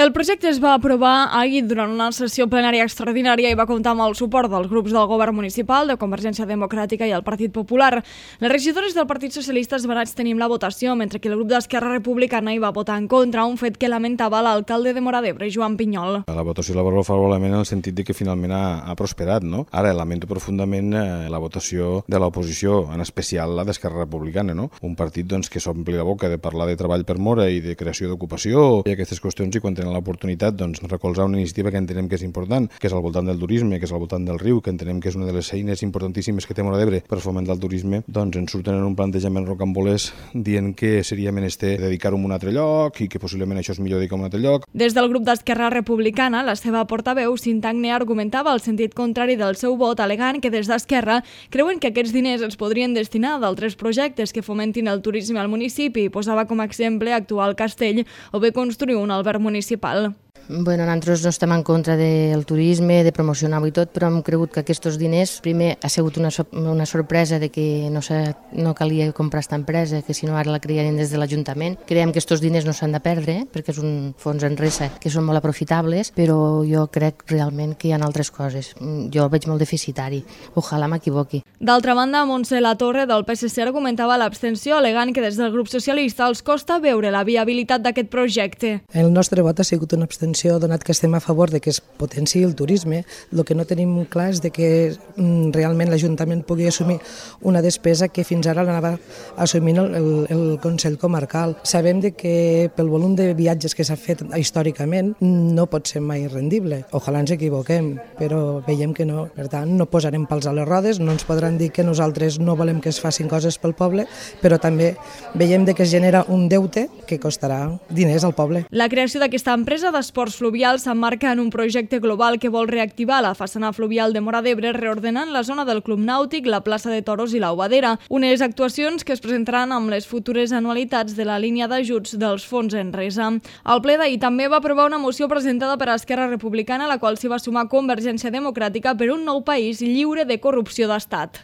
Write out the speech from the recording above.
El projecte es va aprovar ahir durant una sessió plenària extraordinària i va comptar amb el suport dels grups del govern municipal, de Convergència Democràtica i el Partit Popular. Les regidores del Partit Socialista es van abstenir la votació, mentre que el grup d'Esquerra Republicana hi va votar en contra, un fet que lamentava l'alcalde de Móra d'Ebre, Joan Pinyol. La votació la valoro favorablement en el sentit de que finalment ha prosperat, no? Ara lamento profundament la votació de l'oposició, en especial la d'Esquerra Republicana, no? Un partit que s'ompli la boca de parlar de treball per Móra i de creació d'ocupació i aquestes qüestions, i quan tenen l'oportunitat recolzar una iniciativa que entenem que és important, que és al voltant del turisme, que és al voltant del riu, que entenem que és una de les eines importantíssimes que té Móra d'Ebre per fomentar el turisme, ens surten en un plantejament rocambolès dient que seria menester dedicar-ho a un altre lloc i que possiblement això és millor dedicar a un altre lloc. Des del grup d'Esquerra Republicana, la seva portaveu, Cintagne, argumentava el sentit contrari del seu vot, alegant que des d'Esquerra creuen que aquests diners es podrien destinar a d'altres projectes que fomentin el turisme al municipi i posava com a exemple actuar al castell o bé construir un alberg municipal. Bueno, nosaltres no estem en contra del turisme, de promocionar-ho i tot, però hem cregut que aquests diners, primer, ha sigut una sorpresa de que no calia comprar aquesta empresa, que si no ara la crearien des de l'Ajuntament. Creiem que aquests diners no s'han de perdre, perquè és un fons en resa que són molt aprofitables, però jo crec realment que hi ha altres coses. Jo veig molt deficitari. Ojalà m'equivoqui. D'altra banda, Montse Latorre, del PSC, argumentava l'abstenció, alegant que des del grup socialista els costa veure la viabilitat d'aquest projecte. El nostre vot ha sigut una abstenció, donat que estem a favor de que es potenciï el turisme. El que no tenim clar és de que realment l'Ajuntament pugui assumir una despesa que fins ara l'anava assumint el Consell Comarcal. Sabem de que pel volum de viatges que s'ha fet històricament no pot ser mai rendible. Ojalà ens equivoquem, però veiem que no. Per tant, no posarem pals a les rodes, no ens podran dir que nosaltres no volem que es facin coses pel poble, però també veiem de que es genera un deute que costarà diners al poble. La creació d'aquesta empresa d'esports fluvials s'emmarca en un projecte global que vol reactivar la façana fluvial de Móra d'Ebre reordenant la zona del Club Nàutic, la plaça de Toros i l'Aubadera, unes actuacions que es presentaran amb les futures anualitats de la línia d'ajuts dels fons en resa. El ple d'ahir també va aprovar una moció presentada per Esquerra Republicana, a la qual s'hi va sumar Convergència Democràtica per un nou país lliure de corrupció d'estat.